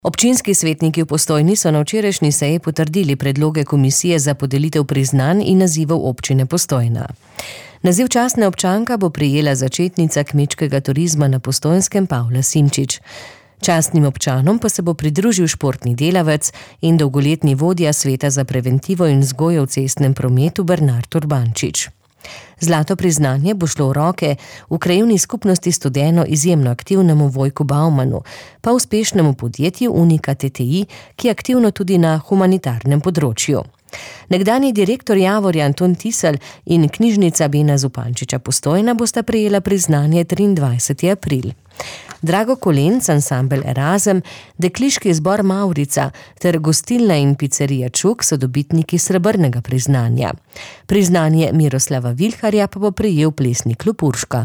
Občinski svetniki v Postojni so na včerajšnji seji potrdili predloge komisije za podelitev priznanj in nazivov občine Postojna. Naziv častne občanka bo prejela začetnica kmečkega turizma na Postojnskem Pavla Simčič. Častnim občanom pa se bo pridružil športni delavec in dolgoletni vodja Sveta za preventivo in vzgojo v cestnem prometu Bernard Urbančič. Zlato priznanje bo šlo v roke v krajevni skupnosti Studeno izjemno aktivnemu Vojku Baumanu, pa uspešnemu podjetju Unika TTI, ki je aktivno tudi na humanitarnem področju. Nekdanji direktor Javorja Anton Tisel in knjižnica Bena Zupančiča Postojna bosta prejela priznanje 23. april. Drago Kolenc, ansambel Erazem, dekliški zbor Mavrica ter gostilna in picerija Čuk so dobitniki srebrnega priznanja. Priznanje Miroslava Vilharja pa bo prejel plesni klub Urška.